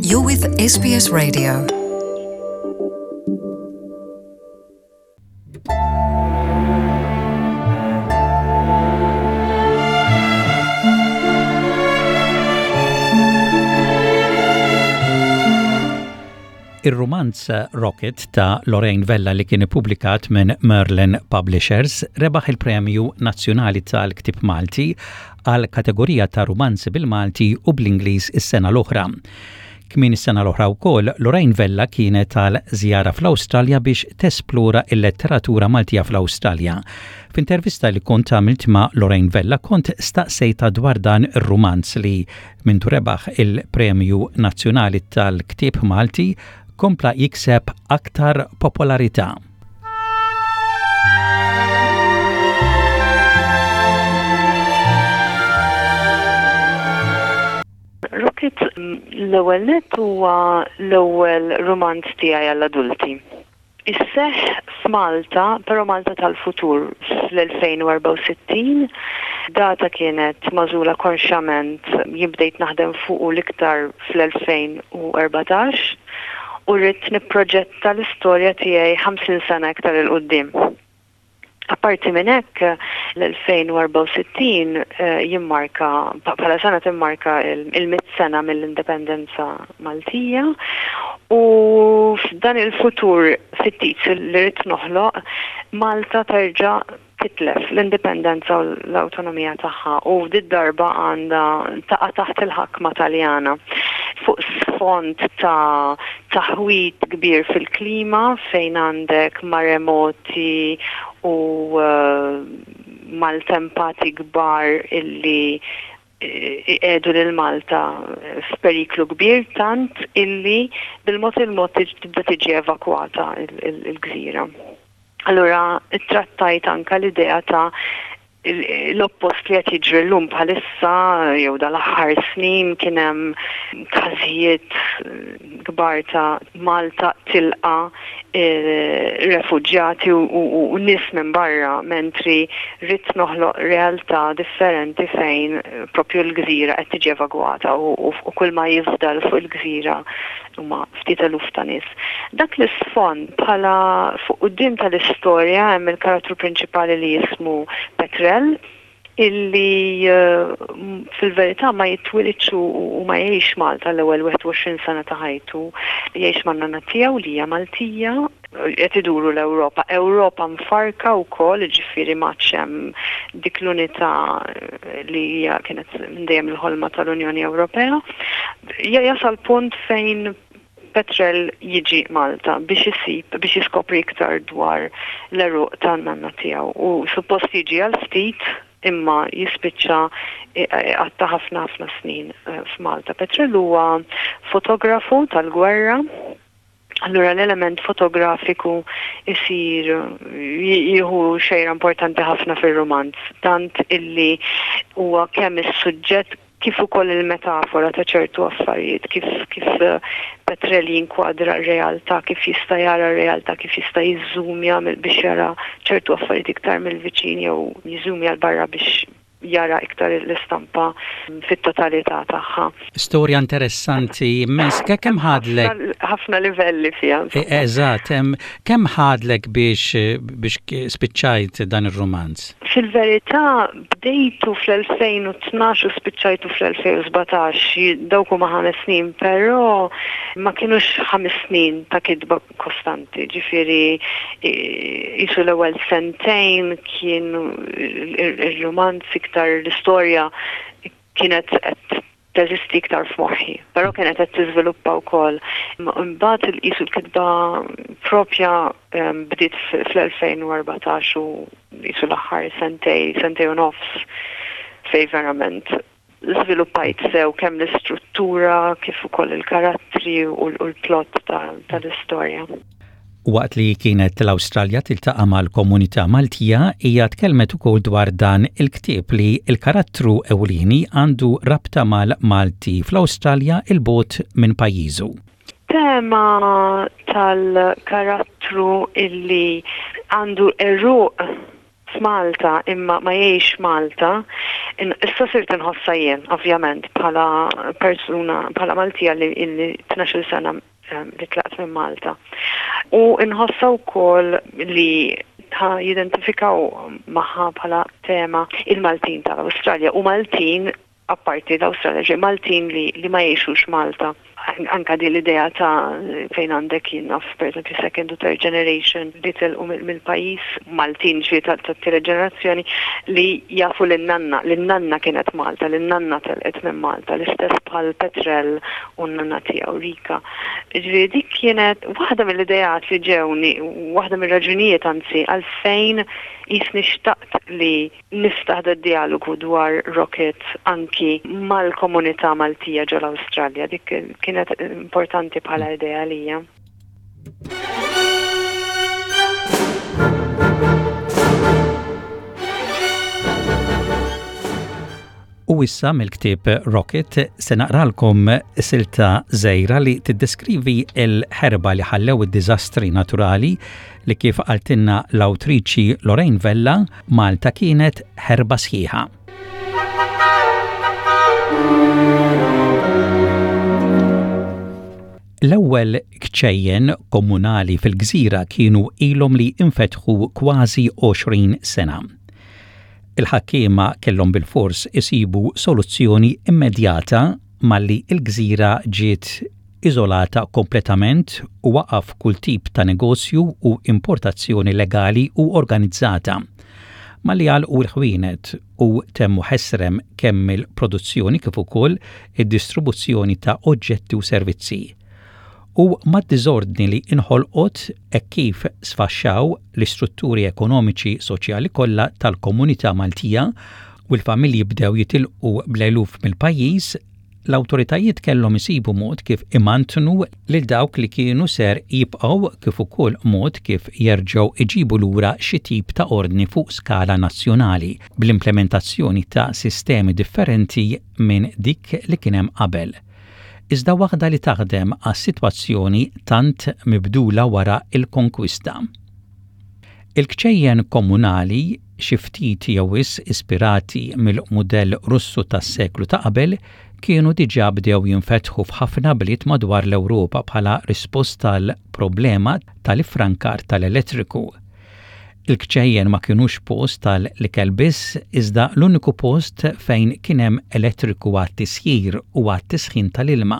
You're with SBS Radio. Ir-rumanz Rocket ta' Lorraine Vella li kien ippubblikat minn Merlin Publishers rebaħ il-Premju Nazzjonali tal-Ktieb Malti għal kategorija ta' rumanzi bil-Malti u bl-Ingliż is-sena l-oħra. Kmieni s-sena l-oħra wkoll, Lorraine Vella kienet għal żjara fl-Awstralja biex tesplora l-letteratura Maltija fl-Awstralja. F'intervista li kont għamilt ma' Lorraine Vella kont staqsejtha dwar dan ir-rumanz li mindu rebaħ il-Premju Nazzjonali tal-Ktieb Malti kompla jikseb aktar popolarità. Rocket l-ewwel nett huwa l-ewwel rumanz tiegħi għall-adulti. Isseħħ f'Malta, però Malta tal-futur, fl-2064. Data kienet magħżula konxjament, jien bdejt naħdem fuqu l-iktar fl-2014 u ridt nipproġetta l-istorja tiegħi 50 sena iktar 'il quddiem. Apparti minn hekk, l-2064 jimmarka, bħala sena timmarka il-mitt sena mill-indipendenza Maltija u f'dan il-futur fittizju li rrid noħloq, Malta terġa' titlef l-indipendenza u l-awtonomija tagħha u did-darba għandha taqa' taħt il-ħakma Taljana fuq sfond ta' taħwid kbir fil-klima fejn għandek maremoti u maltempati kbar illi iqiegħdu lil Malta f'periklu kbir tant illi bil-mod il-mod tibda tiġi evakwata l-gżira. Allura ttrattajt anke l-idea ta' l-oppost li qed jiġri llum bħalissa jew dal-aħħar snin kien hemm każijiet kbar ta' Malta tilqa' refuġjati u nies minn barra mentri ridt noħloq realtà differenti fejn propju l-gżira qed tiġi evagwata u kull ma jifdal fuq il-gżira huma ftit eluf ta' nies. Dak l-isfond bħala fuq quddiem tal-istorja hemm il-karattru prinċipali li jismu Petrel illi fil-verità ma jitwilidx u ma jgħix Malta l-ewwel 21 sena ta' ħajtu. Jgħix man-nanna tiegħu li hija Maltija, qed iduru l-Ewropa. Ewropa mfarrka wkoll, jiġifieri m'għadx hemm dik l-unità li hija kienet minn dejjem il-ħolma tal-Unjoni Ewropea. Jasal punt fejn Petrel jiġi Malta biex isib, biex jiskopri iktar dwar l-għeruq tan-nanna tiegħu u suppost jiġi għal ftit imma jispiċċa iqatta' ħafna ħafna snin f'Malta. Petrel huwa fotografu tal-gwerra, allura l-element fotografiku jsir jieħu xejra importanti ħafna fir-rumanz, tant illi huwa kemm is-suġġett kif ukoll il-metafora ta' ċertu affarijiet, kif kif Petrel jinkwadra r-realtà, kif jista' jara r-realtà, kif jista' jiżżumja biex jara ċertu affarijiet iktar mill-viċin jew jiżżumja 'l barra biex jara iktar l-istampa fit-totalità tagħha. Storja interessanti immens. Kemm ħadlek? Ħafna livelli fiha. Eżatt, kemm ħadlek biex biex spiċċajt dan ir-rumanz? Fil-verità bdejtu fl-2012 u spiċċajtu fl-2017, dawk huma ħames snin, però ma kinux ħames snin ta' kitba kostanti, ġifieri qisu l-ewwel sentejn kien ir-rumanz iktar l-istorja kienet qed teżisti iktar f'moħħi, però kienet qed tiżviluppa wkoll. Imbagħad qisu l-kitba propja bdiet fl-2014 u qisu l-aħħar sentej, sentej u nofs fejn verament żviluppajt sew kemm l-istruttura kif ukoll il-karattri u l-plot tal-istorja. Waqt li kienet l-Awstralja tiltaqa' mal-komunità Maltija, hija tkellmet ukoll dwar dan il-ktieb li l-karattru ewlieni għandu rabta mal-Malti fl-Awstralja 'il bogħod minn pajjiżu. Tema tal-karattru illi għandu għeruq. f'Malta imma ma jgħix Malta, issa sirt inħossha jien, ovvjament, bħala persuna, bħala Maltija li illi 12-il sena ehm, li tlaqt minn Malta. U nħossha wkoll li ta' jidentifikaw magħha bħala tema il-Maltin tal-Awstralja u Maltin apparti l-Awstralja, ġifieri Maltin li li ma jgħixux Malta. Anka din l-idea ta' fejn għandek jien naf pereżempju second u third generation li telqu mill-pajjiż, Maltin ġifieri tat-tielet ġenerazzjoni li jafu lin-nanna, li n-nanna kienet Malta, li n-nanna telqet minn Malta, l-istess bħal Petrel u n-nanna tiegħu Rika. Ġifieri dik kienet waħda mill-ideat li ġewni, waħda mir-raġunijiet anzi għalfejn qisni xtaqt li Niftaħ dad-djalogu dwar Rocket anki mal-komunità Maltija ġol-Awstralja. Dik kienet importanti bħala idea għalija. U issa mill-ktieb Rocket se naqralkom silta żgħira li tiddeskrivi l-ħerba li ħallew id-diżastri naturali li kif qaltilna l-awtriċi Lorraine Vella, Malta kienet ħerba sħiħa. L-ewwel kċejjen komunali fil-gżira kienu ilhom li infetħu kważi 20 sena. Il-ħakkiema kellhom bilfors isibu soluzzjoni immedjata malli l-gżira ġiet iżolata kompletament u waqaf kull tip ta' negozju u importazzjoni legali u organizzata. Malli għalqu l-ħwienet u temmu ħesrem kemm il-produzzjoni kif ukoll id-distribuzzjoni ta' oġġetti u servizzi. U mad-diżordni li inħolqot hekk kif sfaxxaw l-istrutturi ekonomiċi soċjali kollha tal-komunità Maltija u l-familji bdew jitilqu bl-eluf mill-pajjiż, l-awtoritajiet kellhom isibu mod kif imantnu lil dawk li kienu ser jibqgħu kif ukoll mod kif jerġgħu iġibu lura xi tip ta' ordni fuq skala nazzjonali bl-implementazzjoni ta' sistemi differenti minn dik li kien hemm qabel. Iżda waħda li taħdem għas-sitwazzjoni tant mibdula wara l-konkwista. Il-kċejjen komunali, xi ftit jew wisq ispirati mill-mudell Russu tas-seklu ta' qabel, kienu diġà bdew jinfetħu f'ħafna bliet madwar l-Ewropa bħala risposta għall-problema tal-iffrankar tal-elettriku. Il-kċejjen ma kinux post tal-ikel biss, iżda l-uniku post fejn kien hemm elettriku għat-tisjir u għat-tisħin tal-ilma.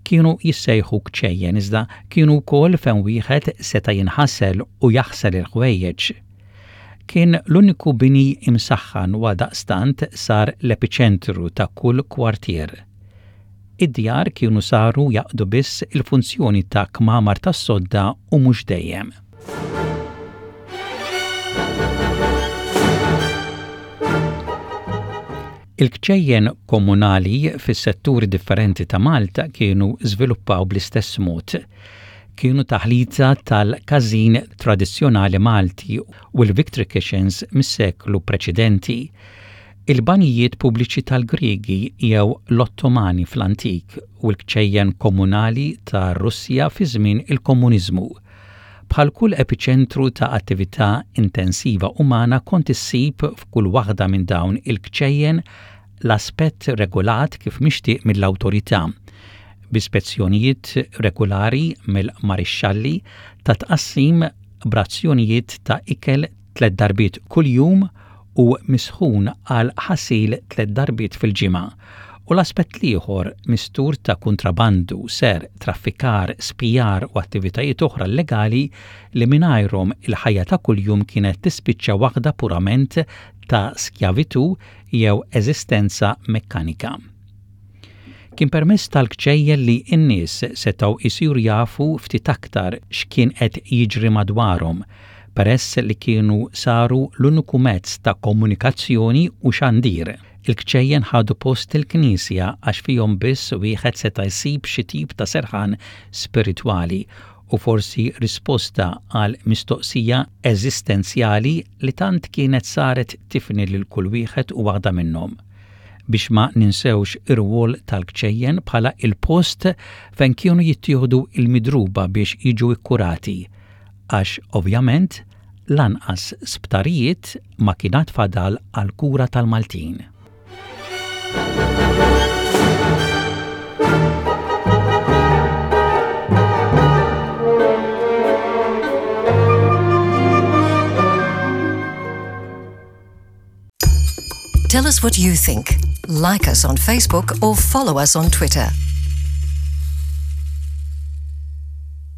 Kienu jissejħu kċejjen iżda kienu wkoll fejn wieħed seta' jinħasel u jaħsel il-ħwejjeġ. Kien l-uniku bini imsaħħan u għaldaqstant sar l-epiċentru ta' kull kwartier. Id-djar kienu saru jaqdu biss il-funzjoni ta' kmamar tas-sodda u mhux dejjem. Il-kċejjen komunali fis-setturi differenti ta' Malta kienu żviluppaw bl-istess mod. Kienu taħlita tal-każin tradizzjonali Malti u l-Victory Kitchens mis-seklu preċedenti, il-banjijiet pubbliċi tal-Griegi jew l-Ottomani fl-antik u l-kċejjen komunali tar-Russja fi żmien il-Komuniżmu. Bħal kull epiċentru ta' attività intensiva umana kont issib f'kull waħda minn dawn il-kċejjen l-aspett regolat kif mixtieq mill-awtorità, bi spezzjonijiet regulari mill-marixxalli ta' tqassim b'razzjonijiet ta' ikel tlett darbiet kuljum u misħun għal ħasil tlett darbiet fil-ġimgħa, u l-aspett l-ieħor mistur ta' kuntrabandu, serq, traffikar, spijar u attivitajiet oħra llegali li mingħajrhom il-ħajja ta' kuljum kienet tispiċċa waħda purament ta' skjavitù jew eżistenza mekkanika. Kien permezz tal-kċejjen li n-nies setgħu jsiru jafu ftit aktar x'kien qed jiġri madwarhom, peress li kienu saru l-uniku mezz ta' komunikazzjoni u xandir. Il-kċejjen ħadu post il-knisja għax fihom biss wieħed seta' jsib xi tip ta' serħan spiritwali u forsi risposta għal mistoqsija eżistenzjali li tant kienet saret tifni lil kull wieħed u waħda minnhom. Biex ma ninsewx ir-rwol tal-kċejjen bħala il-post fejn kienu jittieħdu l-midruba biex jiġu kkurati. Għax ovvjament Lanqas sptarijiet ma kien għad fadal għall-kura tal-Maltin. Tell us what you think. Like us on Facebook or follow us on Twitter.